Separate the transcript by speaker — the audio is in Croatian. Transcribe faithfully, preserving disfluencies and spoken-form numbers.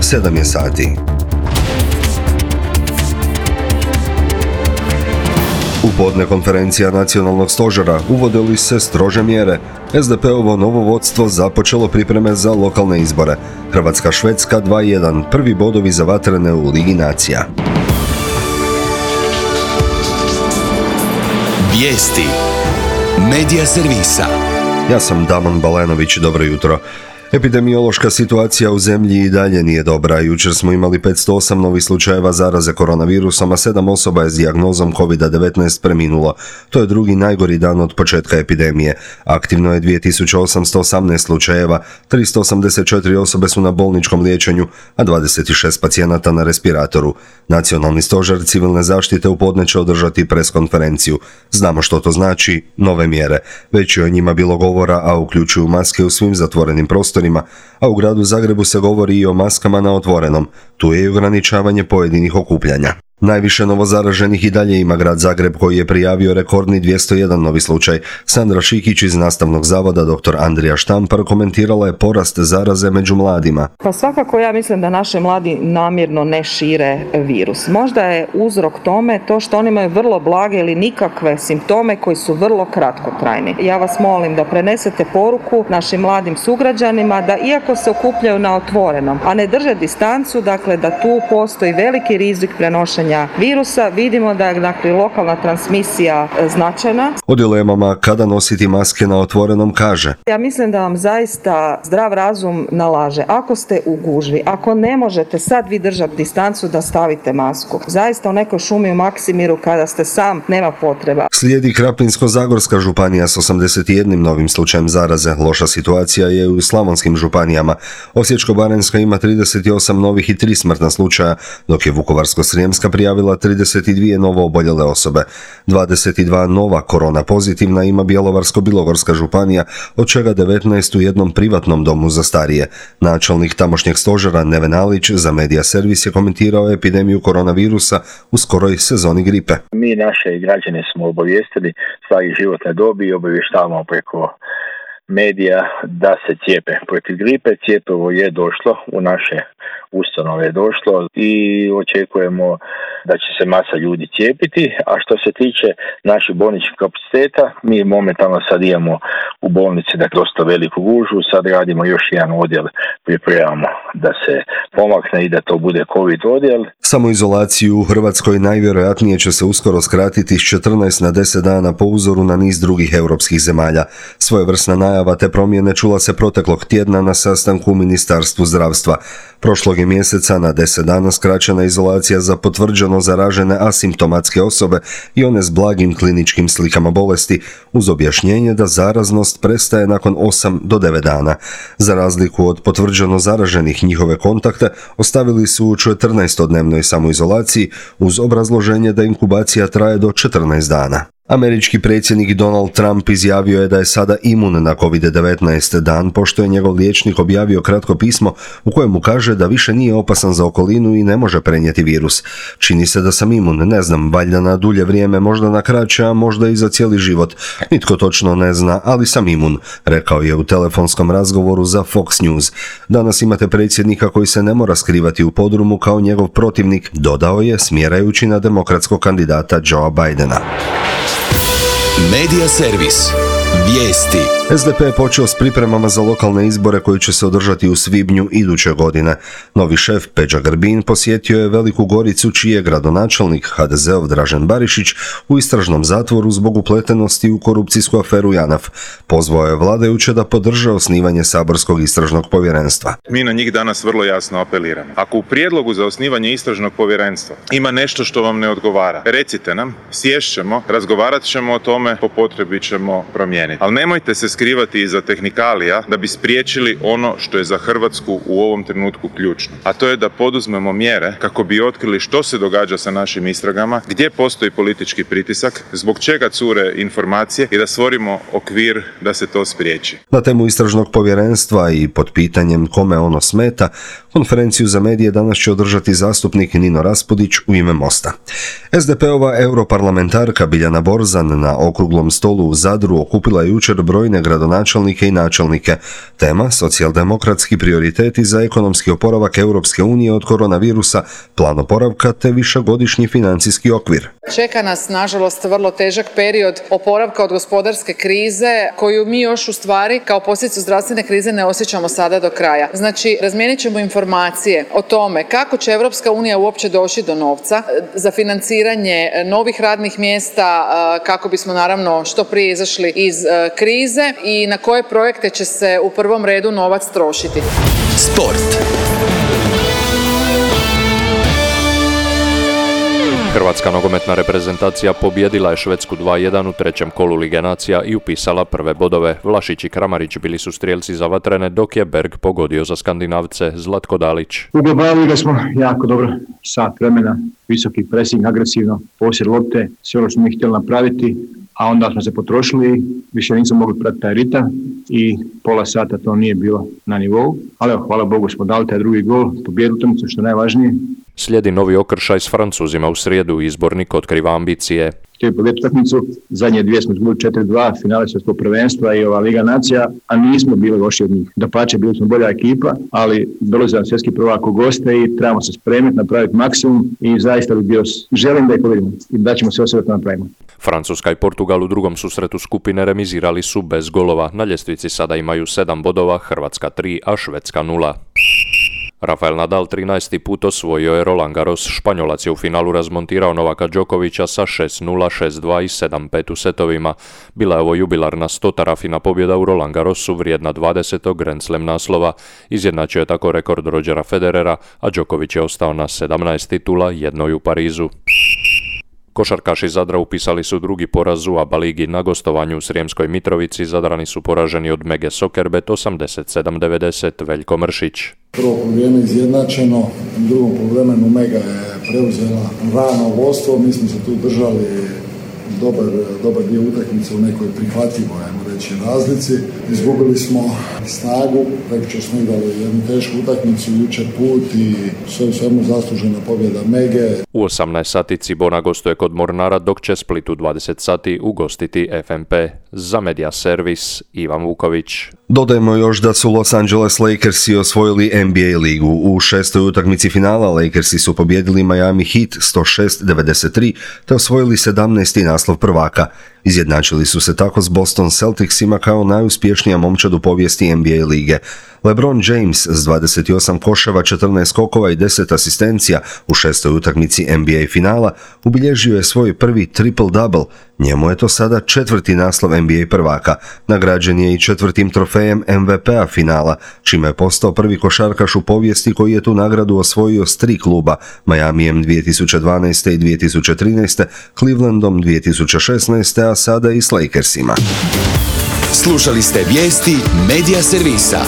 Speaker 1: sedam je sati. U podne konferencija nacionalnog stožera uvode li se strože mjere. es de pe-ovo novo vodstvo započelo pripreme za lokalne izbore. Hrvatska-Švedska dva jedan, prvi bodovi za vatrene u Ligi nacija.
Speaker 2: Vijesti Medija servisa.
Speaker 1: Ja sam Damon Balenović, dobro jutro. Epidemiološka situacija u zemlji i dalje nije dobra. Jučer smo imali petsto osam novih slučajeva zaraze koronavirusom, a sedam osoba je s dijagnozom kovid devetnaest preminulo. To je drugi najgori dan od početka epidemije. Aktivno je dvije tisuće osamsto osamnaest slučajeva, tristo osamdeset četiri osobe su na bolničkom liječenju, a dvadeset šest pacijenata na respiratoru. Nacionalni stožer civilne zaštite u podne će održati preskonferenciju. Znamo što to znači, nove mjere. Već je o njima bilo govora, a uključuju maske u svim zatvorenim prostorima, a u gradu Zagrebu se govori i o maskama na otvorenom. Tu je i ograničavanje pojedinih okupljanja. Najviše novozaraženih i dalje ima grad Zagreb, koji je prijavio rekordni dvjesto jedan novi slučaj. Sandra Šikić iz Nastavnog zavoda dr. Andrija Štampar komentirala je porast zaraze među mladima.
Speaker 3: Pa svakako ja mislim da naši mladi namjerno ne šire virus. Možda je uzrok tome to što oni imaju vrlo blage ili nikakve simptome koji su vrlo kratkotrajni. Ja vas molim da prenesete poruku našim mladim sugrađanima da iako se okupljaju na otvorenom, a ne drže distancu, dakle da tu postoji veliki rizik prenošenja virusa, vidimo da je dakle lokalna transmisija značajna.
Speaker 1: O dilemama kada nositi maske na otvorenom kaže:
Speaker 3: Ja mislim da vam zaista zdrav razum nalaže. Ako ste u gužvi, ako ne možete sad vi držati distancu, da stavite masku. Zaista u nekoj šumi u Maksimiru kada ste sam, nema potreba.
Speaker 1: Slijedi Krapinsko-zagorska županija s osamdeset jednim novim slučajem zaraze. Loša situacija je u slavonskim županijama. Osječko-baranjska ima trideset osam novih i tri smrtna slučaja, dok je Vukovarsko-srijemska prijavila trideset dvije novo oboljele osobe. dvadeset dva nova korona pozitivna ima Bjelovarsko-bilogorska županija, od čega devetnaest u jednom privatnom domu za starije. Načelnik tamošnjeg stožera Neven Alić za Medija servis je komentirao epidemiju koronavirusa u skoroj sezoni gripe.
Speaker 4: Mi naše građane smo obavijestili svake životne dobi i obavještavamo preko medija da se cijepe protiv gripe. Cjepivo je došlo, u naše ustanove je došlo i očekujemo da će se masa ljudi cijepiti. A što se tiče naših bolničkih kapaciteta, mi momentalno sad imamo u bolnici da dosta veliku gužvu, sad radimo još jedan odjel, pripremamo da se pomakne i da to bude COVID odjel.
Speaker 1: Samoizolaciju u Hrvatskoj najvjerojatnije će se uskoro skratiti s četrnaest na deset dana po uzoru na niz drugih europskih zemalja. Svojevrsna najava te promjene čula se proteklog tjedna na sastanku u Ministarstvu zdravstva. Prošlog je mjeseca na deset dana skraćena izolacija za potvrđeno zaražene asimptomatske osobe i one s blagim kliničkim slikama bolesti, uz objašnjenje da zaraznost prestaje nakon osam do devet dana. Za razliku od potvrđeno zaraženih, njihove kontakte ostavili su u četrnaestodnevnoj samoizolaciji uz obrazloženje da inkubacija traje do četrnaest dana. Američki predsjednik Donald Trump izjavio je da je sada imun na kovid devetnaest dan pošto je njegov liječnik objavio kratko pismo u kojemu kaže da više nije opasan za okolinu i ne može prenijeti virus. Čini se da sam imun, ne znam, valjda na dulje vrijeme, možda na kraće, a možda i za cijeli život. Nitko točno ne zna, ali sam imun, rekao je u telefonskom razgovoru za Fox News. Danas imate predsjednika koji se ne mora skrivati u podrumu kao njegov protivnik, dodao je smjerajući na demokratskog kandidata Joea Bidena.
Speaker 2: Medija servis. Vijesti.
Speaker 1: es de pe je počeo s pripremama za lokalne izbore koji će se održati u svibnju iduće godine. Novi šef Peđa Grbin posjetio je Veliku Goricu, čiji je gradonačelnik ha de zeov Dražen Barišić u istražnom zatvoru zbog upletenosti u korupcijsku aferu JANAF. Pozvao je vladajuće da podrže osnivanje saborskog istražnog povjerenstva.
Speaker 5: Mi na njih danas vrlo jasno apeliramo. Ako u prijedlogu za osnivanje istražnog povjerenstva ima nešto što vam ne odgovara, recite nam, sješćemo, razgovarat ćemo o tome, po potrebi ćemo promijeniti. Ali nemojte se skrivati iza tehnikalija da bi spriječili ono što je za Hrvatsku u ovom trenutku ključno. A to je da poduzmemo mjere kako bi otkrili što se događa sa našim istragama, gdje postoji politički pritisak, zbog čega cure informacije i da stvorimo okvir da se to spriječi.
Speaker 1: Na temu istražnog povjerenstva i pod pitanjem kome ono smeta, konferenciju za medije danas će održati zastupnik Nino Raspudić u ime Mosta. es de pe-ova europarlamentarka Biljana Borzan na okruglom stolu u Zadru okupila je jučer brojne gradonačelnike i načelnike. Tema socijaldemokratski prioriteti za ekonomski oporavak Europske unije od koronavirusa, plan oporavka te višegodišnji financijski okvir.
Speaker 6: Čeka nas, nažalost, vrlo težak period oporavka od gospodarske krize koju mi još u stvari kao posljedicu zdravstvene krize ne osjećamo sada do kraja. Znači, razmijenit ćemo informacije o tome kako će Europska unija uopće doći do novca za financiranje novih radnih mjesta, kako bismo naravno što prije izašli iz krize i na koje projekte će se u prvom redu novac trošiti.
Speaker 2: Sport.
Speaker 7: Hrvatska nogometna reprezentacija pobjedila je Švedsku dva jedan u trećem kolu Lige nacija i upisala prve bodove. Vlašić i Kramarić bili su strijelci za vatrene, dok je Berg pogodio za Skandinavce. Zlatko Dalić.
Speaker 8: U globalu ga smo jako dobro, sat vremena, visoki presing, agresivno, posjed lopte, sve ono što smo htjeli napraviti, a onda smo se potrošili, više nismo mogli pratiti taj ritam i pola sata to nije bilo na nivou. Ali evo, hvala Bogu smo dali taj drugi gol, pobjedili utakmicu, što je najvažnije.
Speaker 7: Slijedi novi okršaj s Francuzima u srijedu, izbornik otkriva ambicije.
Speaker 8: Htjeli pobjediti utakmicu, zadnje dvije smo izgubili četiri dva, finale svjetskog prvenstva i ova Liga nacija, a nismo bili loši od njih. Dapače, bili smo bolja ekipa, ali dolazi nam svjetski prvak u goste i trebamo se spremiti, napraviti maksimum i zaista bi bio, želim da ih pobjedimo i da ćemo sve osvrati napravimo.
Speaker 7: Francuska i Portugal u drugom susretu skupine remizirali su bez golova. Na ljestvici sada imaju sedam bodova, Hrvatska tri, a Švedska nula. Rafael Nadal trinaesti put osvojio je Roland Garros. Španjolac je u finalu razmontirao Novaka Đokovića sa šest nula, šest dva i sedam pet u setovima. Bila je ovo jubilarna stota Rafina pobjeda u Roland Garrosu vrijedna dvadesetog Grand Slam naslova. Izjednačio je tako rekord Rodgera Federera, a Đoković je ostao na sedamnaest titula, jednoj u Parizu. Košarkaši Zadra upisali su drugi poraz u A B A ligi. Na gostovanju u Srijemskoj Mitrovici Zadrani su poraženi od Mege Sokerbet osamdeset sedam devedeset. Veljko Mršić.
Speaker 9: Prvo poluvreme izjednačeno, u drugom poluvremenu Mega je preuzela rano vodstvo, mi smo se tu držali dobar, dobar dio utakmice u nekoj prihvatljivoj, ajmo reći, razlici. Izgubili smo snagu, prekjučer smo igrali jednu tešku utakmicu, jučer put i sve u svemu zaslužena pobjeda Mege.
Speaker 7: U osamnaest sati Cibona gostuje kod Mornara, dok će Split u dvadeset sati ugostiti F M P. Za Media Servis, Ivan Vuković.
Speaker 1: Dodajmo još da su Los Angeles Lakersi osvojili N B A ligu. U šestoj utakmici finala Lakersi su pobjedili Miami Heat sto šest devedeset tri te osvojili sedamnaesti naslov prvaka. Izjednačili su se tako s Boston Celticsima kao najuspješnija momčad u povijesti N B A lige. LeBron James s dvadeset osam koševa, četrnaest skokova i deset asistencija u šestoj utakmici N B A finala ubilježio je svoj prvi triple-double. Njemu je to sada četvrti naslov N B A prvaka. Nagrađen je i četvrtim trofejem M V P-a finala, čime je postao prvi košarkaš u povijesti koji je tu nagradu osvojio s tri kluba, Miamijem dvije tisuće dvanaeste i dvije tisuće trinaeste, Clevelandom dvije tisuće šesnaeste, a sada i s Lakersima.
Speaker 2: Slušali ste vijesti Media Servisa.